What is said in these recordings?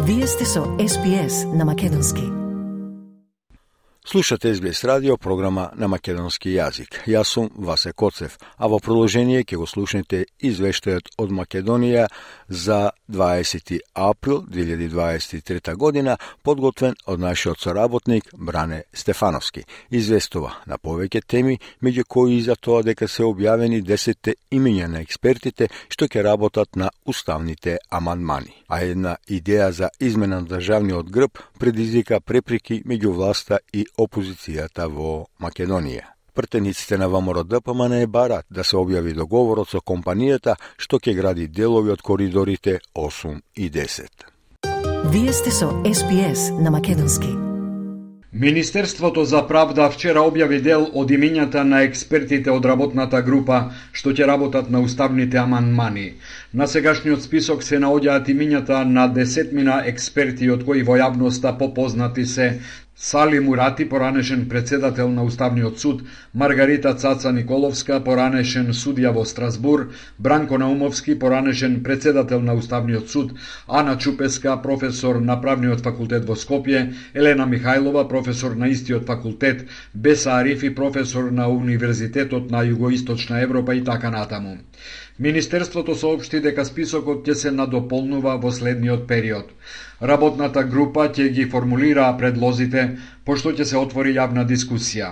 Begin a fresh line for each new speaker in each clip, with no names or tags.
Вие сте со SPS на македонски.
Слушате SBS радио, програма на македонски јазик. Јас сум Васе Коцев, а во продолжение ќе го слушнете извештајот од Македонија за 20. април 2023 година, подготвен од нашиот соработник Бране Стефановски. Известува на повеќе теми, меѓу кои и за тоа дека се објавени 10 имења на експертите што ќе работат на уставните амандмани. А една идеја за измена на државниот грб предизвика препреки меѓу власта и опозицијата во Македонија. Пратениците на ВМРО-ДПМН барат да се објави договорот со компанијата што ќе гради делови од коридорите 8 и 10.
Вие сте со SPS на македонски.
Министерството за правда вчера објави дел од имињата на експертите од работната група што ќе работат на уставните амандмани. На сегашниот список се наоѓаат имињата на 10 експерти, од кои во јавноста попознати се Сали Мурати, поранешен председател на Уставниот суд, Маргарита Цаца Николовска, поранешен судија во Страсбур, Бранко Наумовски, поранешен председател на Уставниот суд, Ана Чупеска, професор на Правниот факултет во Скопје, Елена Михајлова, професор на истиот факултет, Беса Арифи, професор на Универзитетот на Југоисточна Европа и така натаму. Министерството соопшти дека списокот ќе се надополнува во следниот период. Работната група ќе ги формулира предлозите, пошто ќе се отвори јавна дискусија.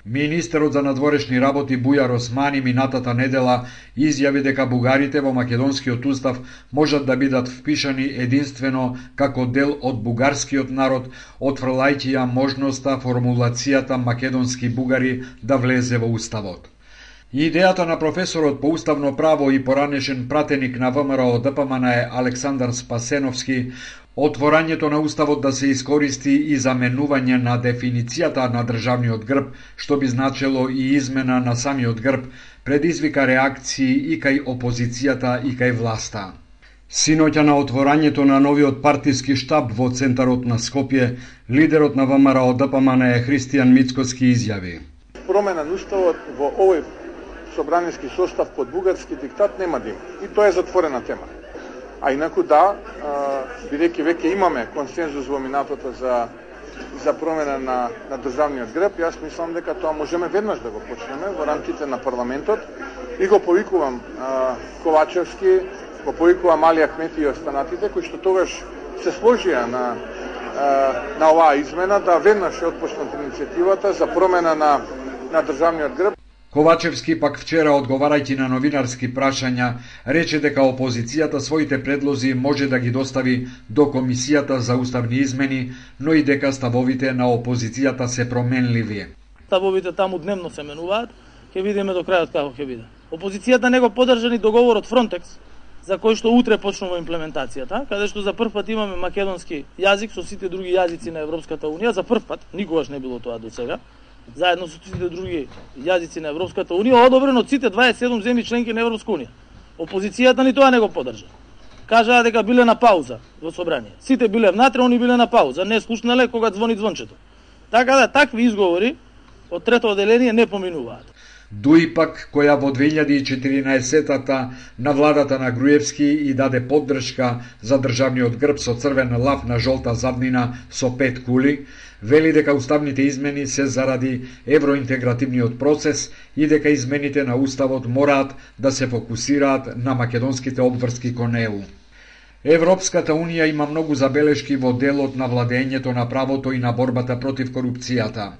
Министерот за надворешни работи Бујар Османи минатата недела изјави дека бугарите во македонскиот устав можат да бидат впишани единствено како дел од бугарскиот народ, отфрлајќи ја можноста формулацијата македонски бугари да влезе во уставот. Идејата на професорот по уставно право и поранешен пратеник на ВМРО-ДПМН е Александар Спасеновски, отворањето на уставот да се искористи и заменување на дефиницијата на државниот грб, што би значело и измена на самиот грб, предизвика реакции и кај опозицијата и кај власта. Синоќа на отворањето на новиот партиски штаб во центарот на Скопје, лидерот на ВМРО-ДПМН Христијан Мицкоски изјави:
Промена на уставот во овој собраниски состав под бугарски диктат нема да има. И тоа е затворена тема. А инаку да, бидејќи веќе имаме консензус во минатото за промена на државниот грб, јас мислам дека тоа можеме веднаш да го почнеме во рамките на парламентот и го повикувам Ковачевски, го повикувам Али Ахмети и останатите кои што тогаш се сложија на оваа измена да веднаш отпочнат иницијативата за промена на државниот грб.
Ковачевски пак вчера, одговарајќи на новинарски прашања, рече дека опозицијата своите предлози може да ги достави до Комисијата за уставни измени, но и дека ставовите на опозицијата се променливи.
Ставовите таму дневно се менуваат, ќе видиме до крајот како ќе биде. Опозицијата не го поддржа ни договорот Фронтекс, за кој што утре почнува имплементацијата, каде што за прв пат имаме македонски јазик со сите други јазици на Европската унија, за прв пат, никогаш не било тоа до сега, заедно со сите други јазици на Европската унија, одобрено од сите 27 земји членки на Европска унија. Опозицијата ни тоа не го поддржа. Кажаа дека биле на пауза во собрание. Сите биле внатре, они биле на пауза, не слушнале кога звони звончето. Така да такви изговори од трето одделение не поминуваат.
Дуи пак, која во 2014-та на владата на Груевски и даде поддршка за државниот грб со црвен лав на жолта заднина со 5 кули, вели дека уставните измени се заради евроинтегративниот процес и дека измените на уставот мораат да се фокусираат на македонските обврски кон ЕУ. Европската унија има многу забелешки во делот на владењето на правото и на борбата против корупцијата.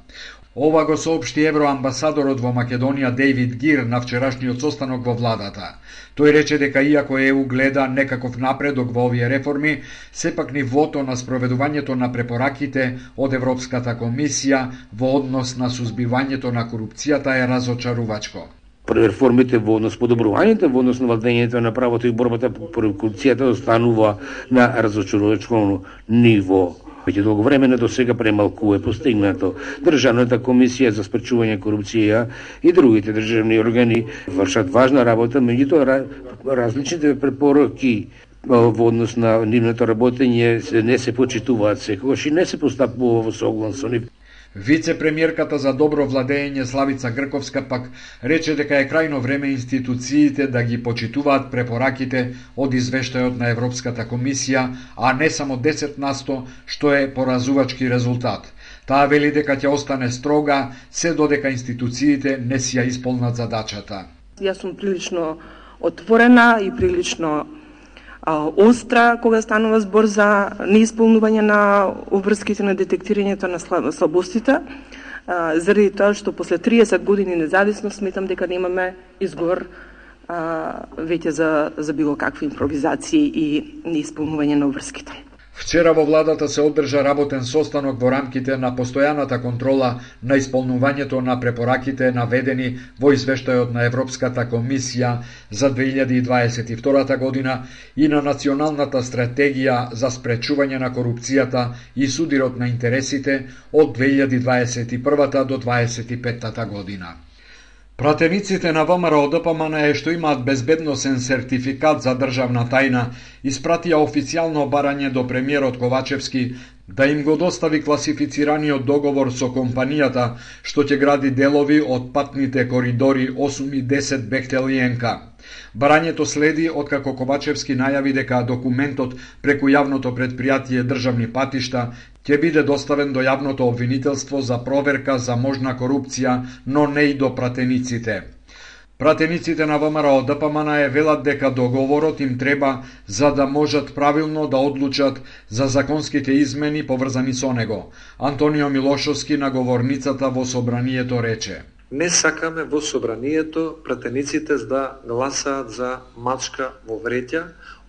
Ова го соопшти евроамбасадорот во Македонија Дейвид Гир на вчерашниот состанок во владата. Тој рече дека иако ЕУ гледа некаков напредок во овие реформи, сепак нивото на спроведувањето на препораките од Европската комисија во однос на сузбивањето на корупцијата е разочарувачко.
Реформите во однос подобрувањето во однос на владењето на правото и борбата против корупцијата останува на разочарувачко ниво. Веќе долго време до сега премалку е постигнато. Државната комисија за спречување корупција и другите државни органи вршат важна работа, меѓутоа различните препораки во однос на нивното работење не се почитуваат секогаш и не се постапува во соглас со нив.
Вице-премиерката за добро владење Славица Грковска пак рече дека е крајно време институциите да ги почитуваат препораките од извештајот на Европската комисија, а не само 10%, што е поразувачки резултат. Таа вели дека ќе остане строга се додека институциите не си ја исполнат задачата.
Јас сум прилично отворена и прилично остра кога станува збор за неисполнување на обврските на детектирањето на слабостите, заради тоа што после 30 години независност сметам дека немаме изговор веќе за било какви импровизации и неисполнување на обврските.
Вчера во владата се одржа работен состанок во рамките на постојаната контрола на исполнувањето на препораките наведени во извештајот на Европската комисија за 2022 година и на Националната стратегија за спречување на корупцијата и судирот на интересите од 2021 до 2025 година. Пратениците на ВМРО-ДПМН што имаат безбедносен сертификат за државна тајна испратија официјално барање до премиерот Ковачевски да им го достави класифицираниот договор со компанијата што ќе гради делови од патните коридори 8 и 10 Бехтелиенка. Барањето следи откако Ковачевски најави дека документот преку јавното предпријатие Државни патишта ќе биде доставен до јавното обвинителство за проверка за можна корупција, но не и до пратениците. Пратениците на ВМРО-ДПМН велат дека договорот им треба за да можат правилно да одлучат за законските измени поврзани со него. Антонио Милошовски на говорницата во собранието рече:
Не сакаме во собранието пратениците да гласаат за мачка во вреќа,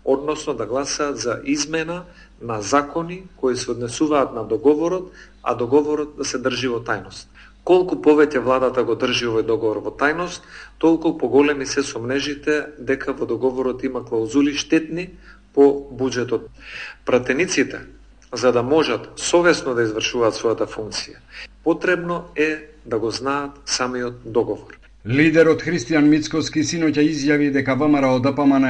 односно да гласаат за измена на закони кои се однесуваат на договорот, а договорот да се држи во тајност. Колку повеќе владата го држи овој договор во тајност, толку поголеми се сомнежите дека во договорот има клаузули штетни по буџетот. Пратениците, за да можат совесно да извршуваат својата функција, потребно е да го знаат самиот договор.
Лидерот Христијан Мицковски синоќа изјави дека ВМРО-ДПМН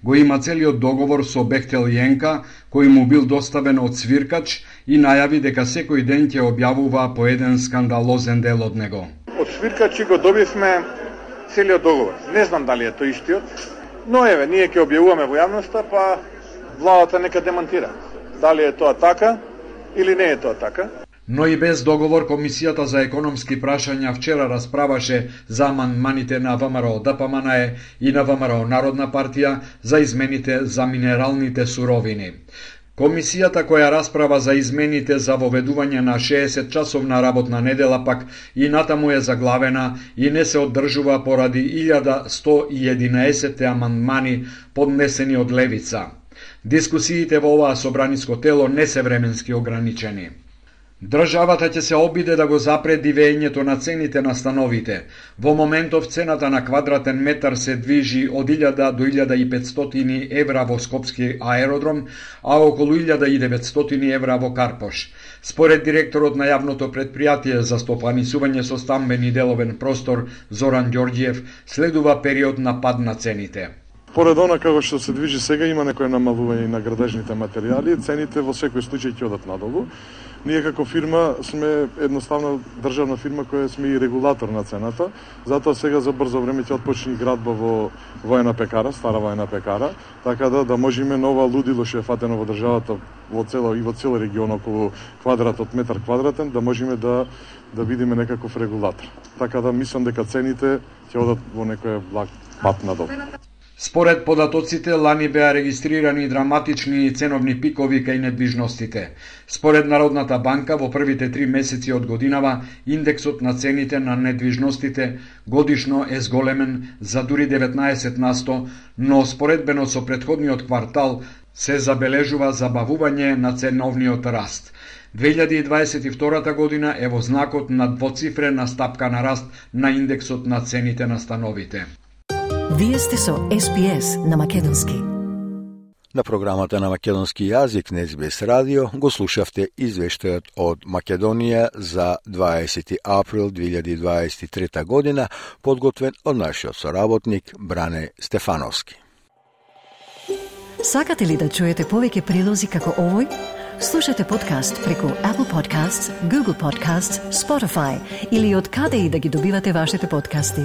го има целиот договор со Бехтелиенка, кој му бил доставен од свиркач, и најави дека секој ден ќе објавува по еден скандалозен дел од него.
Од свиркачи го добивме целиот договор. Не знам дали е тој истиот, но еве, ние ќе објавуваме во јавноста, па владата нека демантира. Дали е тоа така или не е тоа така.
Но и без договор, Комисијата за економски прашања вчера расправаше за амандманите на ВМРО-ДПМН и на ВМРО Народна партија за измените за минералните суровини. Комисијата која расправа за измените за воведување на 60-часовна работна недела пак и натаму е заглавена и не се оддржува поради 1111 амандмани поднесени од левица. Дискусиите во оваа собраниско тело не се временски ограничени. Државата ќе се обиде да го запре дивењето на цените на становите. Во моментов цената на квадратен метар се движи од 1000 до 1500 евра во Скопски аеродром, а околу 1900 евра во Карпош. Според директорот на јавното предпријатие за стопанисување со стамбен и деловен простор Зоран Ѓорѓиев, следува период на пад на цените.
Поред она како што се движи сега, има некој намалување на градежните материјали, цените во секој случај ќе одат надолу. Ние како фирма сме едноставно државна фирма која сме и регулатор на цената, затоа сега за брзо време ќе отпочне градба во воена пекара, стара воена пекара, така да можеме нова лудило што е фатено во државата во цел регион околу квадратот метар квадратен, да можеме да бидеме некаков регулатор. Така да мислам дека цените ќе одат во некој благ пат надолу.
Според податоците, лани беа регистрирани драматични ценовни пикови кај недвижностите. Според Народната банка, во првите 3 месеци од годинава, индексот на цените на недвижностите годишно е зголемен за дури 19%, но споредбено со претходниот квартал се забележува забавување на ценовниот раст. 2022 година е во знакот на двоцифрена стапка на раст на индексот на цените на становите.
Вие сте со SPS на македонски.
На програмата на македонски јазик на SBS радио го слушавте извештајот од Македонија за 20 април 2023 година, подготвен од нашиот соработник Бране Стефановски.
Сакате ли да чуете повеќе прилози како овој? Слушате подкаст преку Apple Podcasts, Google Podcasts, Spotify или од каде и да ги добивате вашите подкасти.